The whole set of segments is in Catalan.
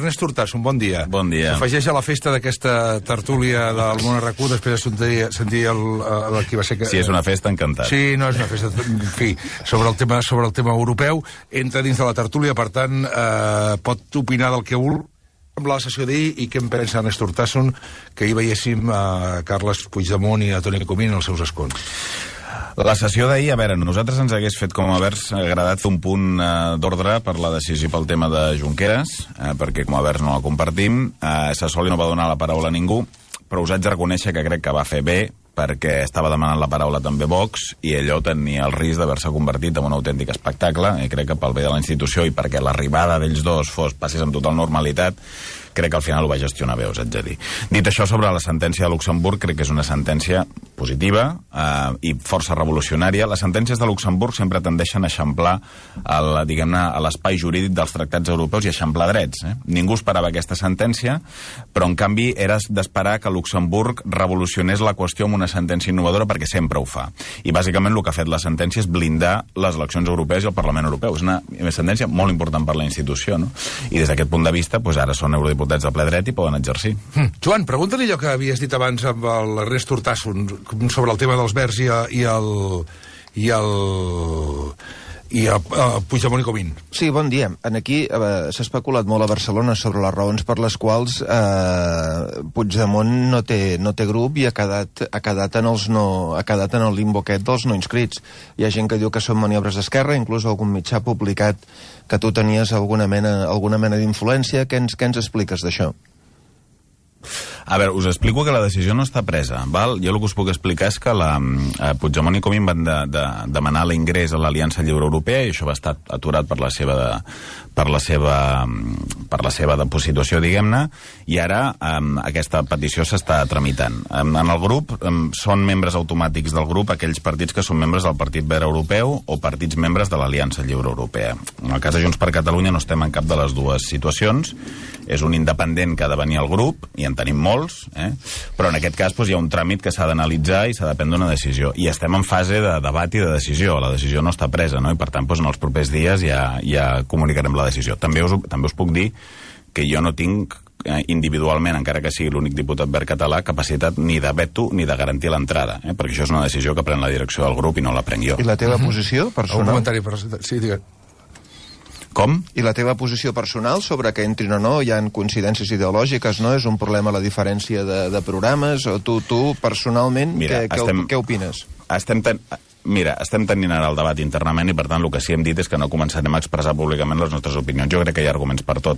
Ernest Urtasun, bon dia. Bon dia. S'afegeix a la festa d'aquesta tertúlia del Món RQ, després de sentir qui va ser... Sí, és una festa, encantat. Sí, no, és una festa, en fi, sobre el tema europeu. Entra dins de la tertúlia, per tant, pot opinar del que vol amb la sessió d'ahir i què en pensa Ernest Urtasun, que ahir veiéssim a Carles Puigdemont i a Toni Comín en els seus escons. La sessió d'ahir, a veure, nosaltres ens hagués fet com a Verds agradat fer un punt d'ordre per la decisió pel tema de Junqueras, perquè com a Verds no la compartim. Sassoli no va donar la paraula a ningú, però us haig de reconèixer que crec que va fer bé, perquè estava demanant la paraula també Vox, i allò tenia el risc d'haver-se convertit en un autèntic espectacle, i crec que pel bé de la institució i perquè l'arribada d'ells dos passés amb total normalitat, crec que al final ho va gestionar bé, us haig de dir. Dit això, sobre la sentència de Luxemburg, crec que és una sentència positiva i força revolucionària. Les sentències de Luxemburg sempre tendeixen a eixamplar diguem-ne, a l'espai jurídic dels tractats europeus i eixamplar drets. Ningú esperava aquesta sentència, però en canvi era d'esperar que Luxemburg revolucionés la qüestió amb una sentència innovadora, perquè sempre ho fa. I bàsicament el que ha fet la sentència és blindar les eleccions europees i el Parlament Europeu. És una sentència molt important per la institució, no? I des d'aquest punt de vista, doncs ara són eurodiputats de ple dret i poden exercir. Joan, pregunta-li allò que havies dit abans amb l'Ernest Urtasun sobre el tema dels Verds i el Puigdemont i Comín. Sí, bon dia. Aquí s'ha especulat molt a Barcelona sobre les raons per les quals Puigdemont no té grup i ha quedat en el limbo aquest dels no inscrits. Hi ha gent que diu que són maniobres d'esquerra, inclús algun mitjà ha publicat que tu tenies alguna mena d'influència. Què ens expliques d'això? A veure, us explico que la decisió no està presa, val? Jo el que us puc explicar és que Puigdemont i Comín van demanar l'ingrés a l'Aliança Lliure Europea i això va estar aturat per la seva deposició, diguem-ne, i ara aquesta petició s'està tramitant. En el grup són membres automàtics del grup aquells partits que són membres del Partit Verd Europeu o partits membres de l'Aliança Lliure Europea. En el cas de Junts per Catalunya no estem en cap de les dues situacions. És un independent que ha de venir al grup, i en tenim molts, però en aquest cas hi ha un tràmit que s'ha d'analitzar i s'ha de prendre una decisió. I estem en fase de debat i de decisió. La decisió no està presa, no? I per tant, en els propers dies ja comunicarem la decisió. També us puc dir que jo no tinc individualment, encara que sigui l'únic diputat verd català, capacitat ni de veto ni de garantir l'entrada, perquè això és una decisió que pren la direcció del grup i no la prenc jo. I la teva posició personal? Un comentari personal. Sí, digue'm. Com? I la teva posició personal sobre que entrin o no? Hi ha coincidències ideològiques, no? És un problema la diferència de programes? O tu personalment, què opines? Estem tenint ara el debat internament i, per tant, el que sí hem dit és que no començarem a expressar públicament les nostres opinions. Jo crec que hi ha arguments per tot.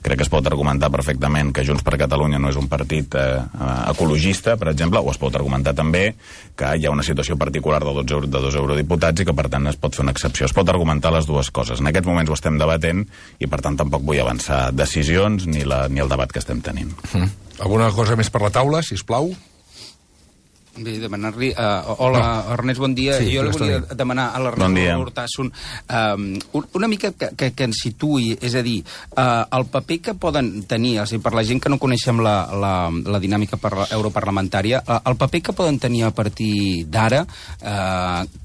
Crec que es pot argumentar perfectament que Junts per Catalunya no és un partit ecologista, per exemple, o es pot argumentar també que hi ha una situació particular de 2 eurodiputats i que, per tant, es pot fer una excepció. Es pot argumentar les dues coses. En aquests moments ho estem debatent i, per tant, tampoc vull avançar decisions ni el debat que estem tenint. Alguna cosa més per la taula, sisplau? Bé, demanar-li... Hola, Ernest, bon dia. Sí, jo li volia demanar a l'Ernest Urtasun una mica que ens situï, és a dir, el paper que poden tenir, per la gent que no coneixem la dinàmica europarlamentària, el paper que poden tenir a partir d'ara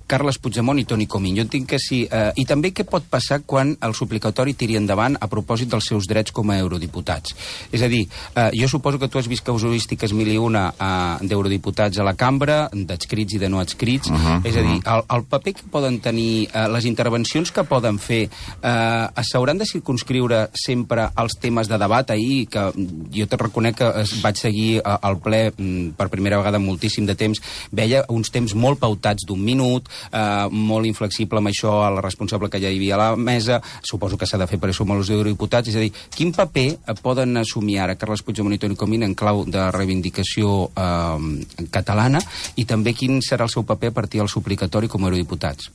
Carles Puigdemont i Toni Comín. Jo entenc que sí. I també què pot passar quan el suplicatori tiri endavant a propòsit dels seus drets com a eurodiputats. És a dir, jo suposo que tu has vist casuístiques 1001 d'eurodiputats a la cambra, d'adscrits i de no adscrits. És a dir, el paper que poden tenir, les intervencions que poden fer, s'hauran de circumscriure sempre als temes de debat. Ahir, que jo te reconec que vaig seguir al ple per primera vegada en moltíssim de temps, veia uns temps molt pautats d'1 minut, molt inflexible amb això a la responsable que ja hi havia a la mesa. Suposo que s'ha de fer per això amb els eurodiputats. És a dir, quin paper poden assumir ara Carles Puigdemont i Toni Comín en clau de reivindicació catalana, i també quin serà el seu paper a partir del suplicatori com a eurodiputats?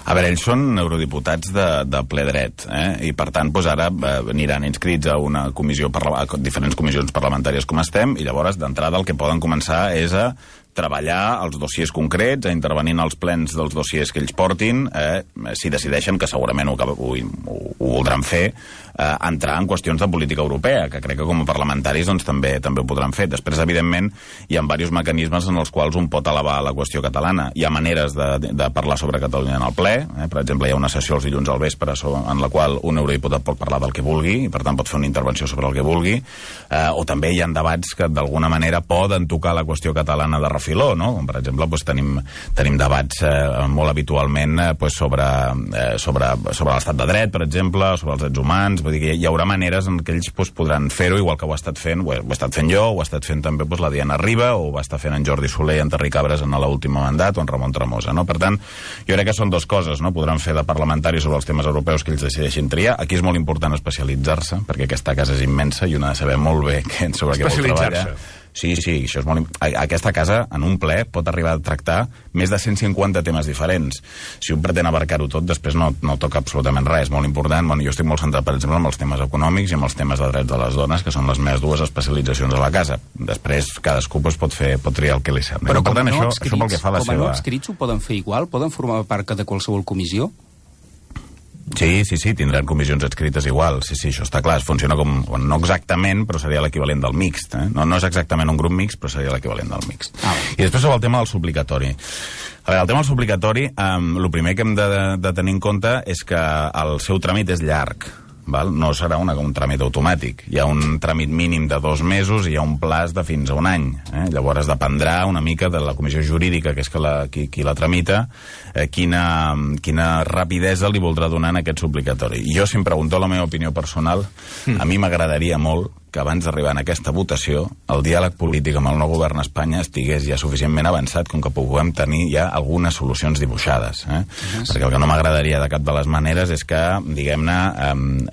A veure, ells són eurodiputats de ple dret, i per tant ara aniran inscrits a una comissió, a diferents comissions parlamentàries com estem, i llavors d'entrada el que poden començar és a treballar els dossiers concrets, a intervenir en els plens dels dossiers que ells portin, si decideixen, que segurament ho voldran fer, entrar en qüestions de política europea, que crec que com a parlamentaris doncs, també ho podran fer. Després, evidentment, hi ha diversos mecanismes en els quals un pot elevar la qüestió catalana. Hi ha maneres de parlar sobre Catalunya en el ple. Per exemple, hi ha una sessió els dilluns al vespre en la qual un eurodiputat pot parlar del que vulgui i, per tant, pot fer una intervenció sobre el que vulgui. O també hi ha debats que, d'alguna manera, poden tocar la qüestió catalana de refiló, no? Com, per exemple, tenim debats molt habitualment sobre l'estat de dret, per exemple, sobre els drets humans. Vull dir que hi haurà maneres en què ells podran fer-ho, igual que ho he estat fent jo, ho ha estat fent també la Diana Riba, o ho va estar fent en Jordi Soler i en Terric Cabres en l'últim mandat, o en Ramon Tremosa, no? Per tant, jo crec que són dues coses, no? Podran fer de parlamentaris sobre els temes europeus que ells decideixin triar. Aquí és molt important especialitzar-se, perquè aquesta casa és immensa i un ha de saber molt bé sobre què vol treballar. Sí, això és molt... Aquesta casa, en un ple, pot arribar a tractar més de 150 temes diferents. Si un pretén abarcar-ho tot, després no toca absolutament res. És molt important. Bueno, jo estic molt centrat, per exemple, en els temes econòmics i en els temes de drets de les dones, que són les meves dues especialitzacions a la casa. Després, cadascú pot triar el que li sembla. Però com a no adscrits ho poden fer igual? Poden formar part de qualsevol comissió? Sí, tindran comissions adscrites igual. Sí, això està clar. Funciona com... no exactament, però seria l'equivalent del mixt. No és exactament un grup mixt, però seria l'equivalent del mixt. I després sobre el tema del suplicatori. A veure, el tema del suplicatori, el primer que hem de tenir en compte és que el seu tràmit és llarg. No serà un tràmit automàtic. Hi ha un tràmit mínim de 2 mesos i hi ha un plaç de fins a 1 any. Llavors dependrà una mica de la comissió jurídica, que és qui la tramita, quina rapidesa li voldrà donar en aquest suplicatori. I jo, si em pregunteu la meva opinió personal, a mi m'agradaria molt que abans d'arribar en aquesta votació el diàleg polític amb el nou govern a Espanya estigués ja suficientment avançat com que puguem tenir ja algunes solucions dibuixades. Perquè el que no m'agradaria de cap de les maneres és que, diguem-ne,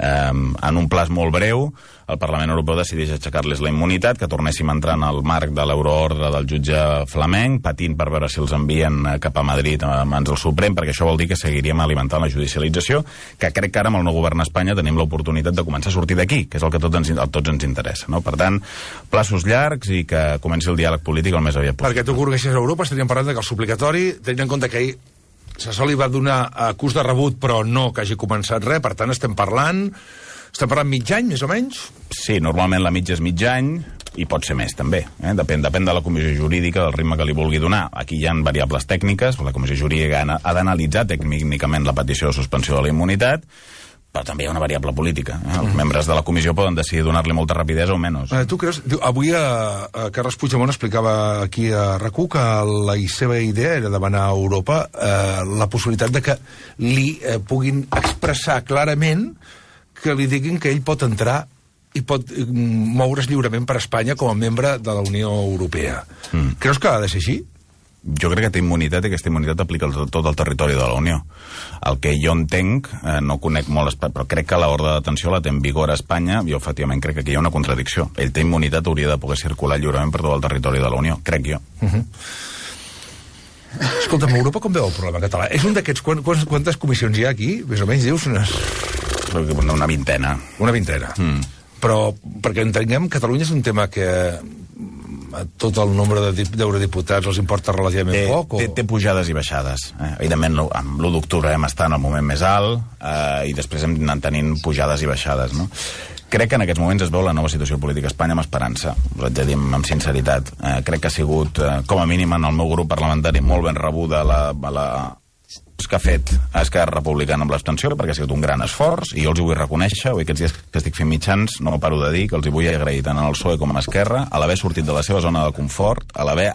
en un plaç molt breu, el Parlament Europeu decideix aixecar-les la immunitat, que tornéssim a entrar en el marc de l'euroordre del jutge flamenc, patint per veure si els envien cap a Madrid a mans del Suprem, perquè això vol dir que seguiríem alimentant la judicialització, que crec que ara amb el nou govern a Espanya tenim l'oportunitat de començar a sortir d'aquí, que és el que a tots ens interessa. No? Per tant, plaços llargs i que comenci el diàleg polític el més aviat possible. Perquè tu que organitzes a Europa estaríem parlant que el suplicatori, tenint en compte que ahir Sassoli va donar acús de rebut però no que hagi començat res, per tant estem parlant mig any, més o menys? Sí, normalment la mitja és mig any i pot ser més, també. Depèn de la comissió jurídica, del ritme que li vulgui donar. Aquí hi ha variables tècniques, la comissió jurídica ha d'analitzar tècnicament la petició de suspensió de la immunitat, però també hi ha una variable política. Els membres de la comissió poden decidir donar-li molta rapidesa o menys. Tu creus... Avui Carles Puigdemont explicava aquí a RAC1 que la seva idea era demanar a Europa la possibilitat de que li puguin expressar clarament que li diguin que ell pot entrar i pot moure's lliurement per Espanya com a membre de la Unió Europea. Creus que ha de ser així? Jo crec que té immunitat i aquesta immunitat aplica a tot el territori de la Unió. El que jo entenc, no conec molt, però crec que l'ordre de detenció la té en vigor a Espanya i jo efectivament crec que aquí hi ha una contradicció. Ell té immunitat, hauria de poder circular lliurement per tot el territori de la Unió, crec jo. Escolta'm, Europa com veu el problema català? És un d'aquests... Quantes comissions hi ha aquí? Més o menys, dius? Una vintena. Una vintena. Però, perquè entenguem, Catalunya és un tema que a tot el nombre d'eurodiputats els importa relativament poc? Té pujades i baixades. Evidentment, amb l'1 d'octubre hem estat en el moment més alt i després hem anat tenint pujades i baixades, no? Crec que en aquests moments es veu la nova situació política a Espanya amb esperança, us haig de dir amb sinceritat. Crec que ha sigut, com a mínim en el meu grup parlamentari, molt ben rebuda que ha fet Esquerra Republicana amb l'abstenció, perquè ha sigut un gran esforç, i jo els hi vull reconèixer, avui aquests dies que estic fent mitjans, no paro de dir que els hi vull agrair tant al PSOE com a Esquerra, a l'haver sortit de la seva zona de confort, a l'haver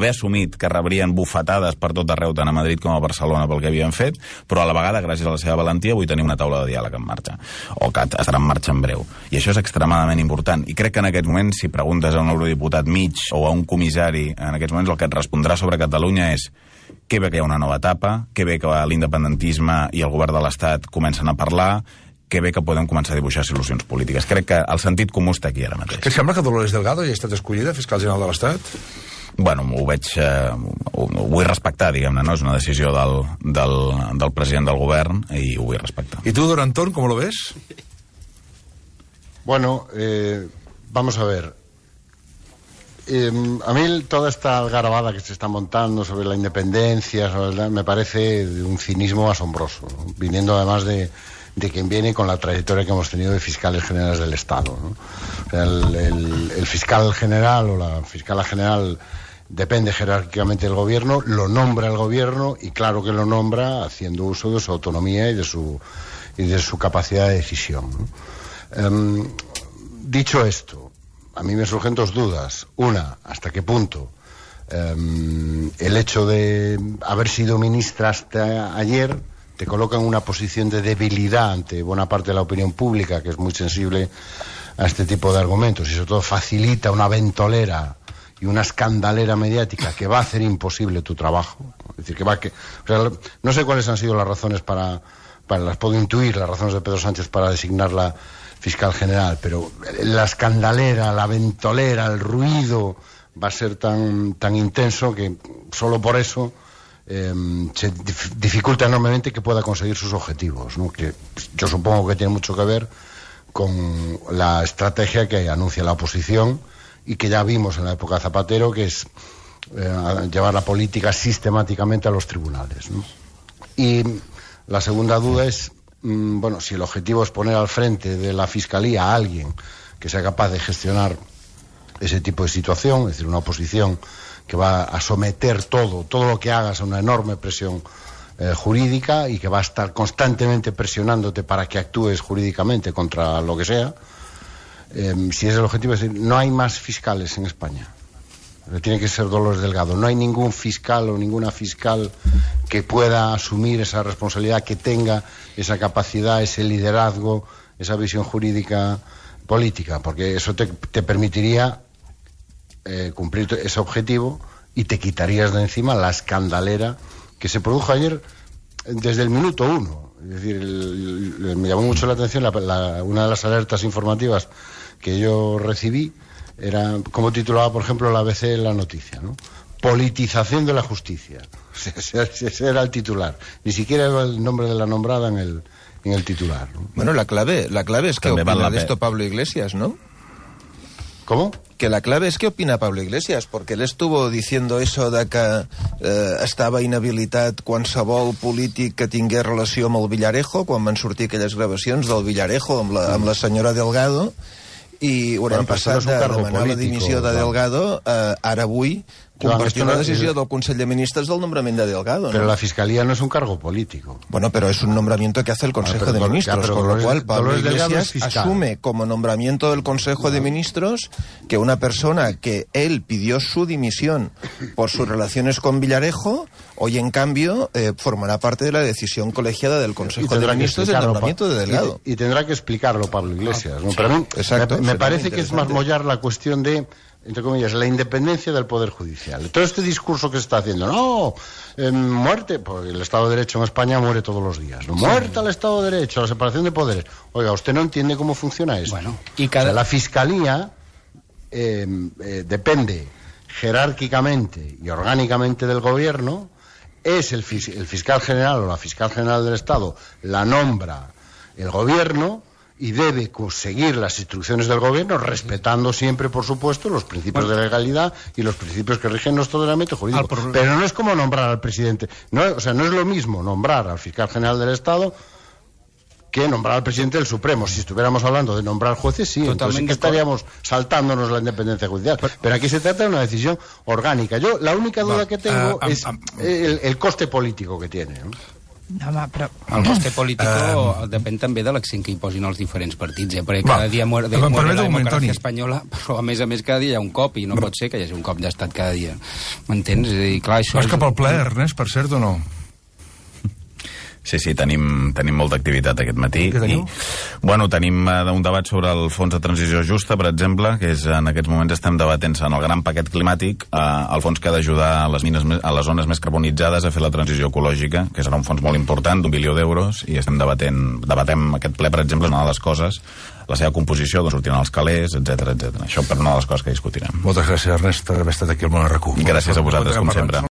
assumit que rebrien bufetades per tot arreu, tant a Madrid com a Barcelona, pel que havien fet, però a la vegada, gràcies a la seva valentia, avui tenim una taula de diàleg en marxa, o que estarà en marxa en breu. I això és extremadament important. I crec que en aquests moments, si preguntes a un eurodiputat mig o a un comissari, en aquests moments el que et respondrà sobre Catalunya és que bé que hi ha una nova etapa, que bé que l'independentisme i el govern de l'Estat comencen a parlar, que bé que podem començar a dibuixar solucions polítiques. Crec que el sentit comú està aquí ara mateix. Que sembla que Dolores Delgado ja ha estat escollida fiscal general de l'Estat? Bueno, ho vull respectar, diguem-ne, no? És una decisió del president del govern i ho vull respectar. ¿Y tú, don Antón, cómo lo ves? Bueno, vamos a ver. a mí toda esta algarabada que se está montando sobre la independencia me parece de un cinismo asombroso, ¿no? Viniendo además de quien viene con la trayectoria que hemos tenido de fiscales generales del Estado, ¿no? O sea, el fiscal general o la fiscala general depende jerárquicamente del gobierno, lo nombra el gobierno y claro que lo nombra haciendo uso de su autonomía y de su capacidad de decisión, ¿no? Dicho esto, a mí me surgen dos dudas. Una, ¿hasta qué punto el hecho de haber sido ministra hasta ayer te coloca en una posición de debilidad ante buena parte de la opinión pública, que es muy sensible a este tipo de argumentos, y sobre todo facilita una ventolera y una escandalera mediática que va a hacer imposible tu trabajo? Es decir, o sea, no sé cuáles han sido las razones las puedo intuir, las razones de Pedro Sánchez para designarla fiscal general, pero la escandalera, la ventolera, el ruido va a ser tan intenso que solo por eso se dificulta enormemente que pueda conseguir sus objetivos, ¿no? Que yo supongo que tiene mucho que ver con la estrategia que anuncia la oposición y que ya vimos en la época de Zapatero, que es llevar la política sistemáticamente a los tribunales, ¿no? Y la segunda duda es, bueno, si el objetivo es poner al frente de la Fiscalía a alguien que sea capaz de gestionar ese tipo de situación, es decir, una oposición que va a someter todo lo que hagas a una enorme presión jurídica y que va a estar constantemente presionándote para que actúes jurídicamente contra lo que sea. Si es el objetivo, es decir, no hay más fiscales en España. Tiene que ser Dolores Delgado. No hay ningún fiscal o ninguna fiscal que pueda asumir esa responsabilidad, que tenga esa capacidad, ese liderazgo, esa visión jurídica política, porque eso te permitiría cumplir ese objetivo y te quitarías de encima la escandalera que se produjo ayer desde el minuto uno. Es decir, me llamó mucho la atención una de las alertas informativas que yo recibí, era como titulaba, por ejemplo, la ABC en la noticia, ¿no? Politización de la justicia. Ese era el titular. Ni siquiera era el nombre de la nombrada en el titular, ¿no? Bueno, la clave es que opina de esto Pablo Iglesias, ¿no? ¿Cómo? Que la clave es que opina Pablo Iglesias, porque él estuvo diciendo eso de que estava inhabilitat qualsevol polític que tingués relació amb el Villarejo, quan van sortir aquelles gravacions del Villarejo amb la senyora Delgado, i haurem passat de demanar la dimissió de Delgado ara avui compartir una decisió del Consell de Ministres del nombramiento de Delgado, ¿no? Pero la Fiscalía no es un cargo político. Bueno, pero es un nombramiento que hace el Consejo de Ministros, con lo cual Pablo Iglesias asume como nombramiento del Consejo de Ministros que una persona que él pidió su dimisión por sus relaciones con Villarejo, hoy en cambio formará parte de la decisión colegiada del Consejo de Ministros del nombramiento de Delgado. Y tendrá que explicarlo Pablo Iglesias, ¿no? Pero a mí me parece que es más mollar la cuestión de, entre comillas, la independencia del Poder Judicial. Todo este discurso que se está haciendo, no, muerte, porque el Estado de Derecho en España muere todos los días, ¿no? Muerte al Estado de Derecho, a la separación de poderes. Oiga, usted no entiende cómo funciona eso. Bueno, o sea, la Fiscalía depende jerárquicamente y orgánicamente del Gobierno, es el fiscal general o la fiscal general del Estado, la nombra el Gobierno, y debe seguir las instrucciones del gobierno, respetando siempre, por supuesto, los principios de legalidad y los principios que rigen nuestro ordenamiento jurídico. Pero no es como nombrar al presidente. No, o sea, no es lo mismo nombrar al fiscal general del Estado que nombrar al presidente del Supremo. Si estuviéramos hablando de nombrar jueces, sí, entonces sí que estaríamos saltándonos la independencia judicial. Pero aquí se trata de una decisión orgánica. Yo la única duda que tengo es el coste político que tiene, ¿no? Home, però el coste polític depèn també de l'accent que hi posin els diferents partits, perquè cada dia muere la democràcia espanyola, però a més cada dia hi ha un cop, i no pot ser que hi hagi un cop d'estat cada dia. M'entens? És a dir, clar, això... Vas cap al ple, Ernest, per cert, o no? Sí, tenim molta activitat aquest matí. Bueno, tenim un debat sobre el Fons de Transició Justa, per exemple, que és, en aquests moments estem debatent-se en el gran paquet climàtic, el fons que ha d'ajudar a les zones més carbonitzades a fer la transició ecològica, que serà un fons molt important, d'1 bilió d'euros, i debatem aquest ple, per exemple, una de les coses, la seva composició, d'on sortiran els calés, etc. Això per una de les coses que discutirem. Moltes gràcies, Ernest, per haver estat aquí al Món RQ. Gràcies a vosaltres, com sempre.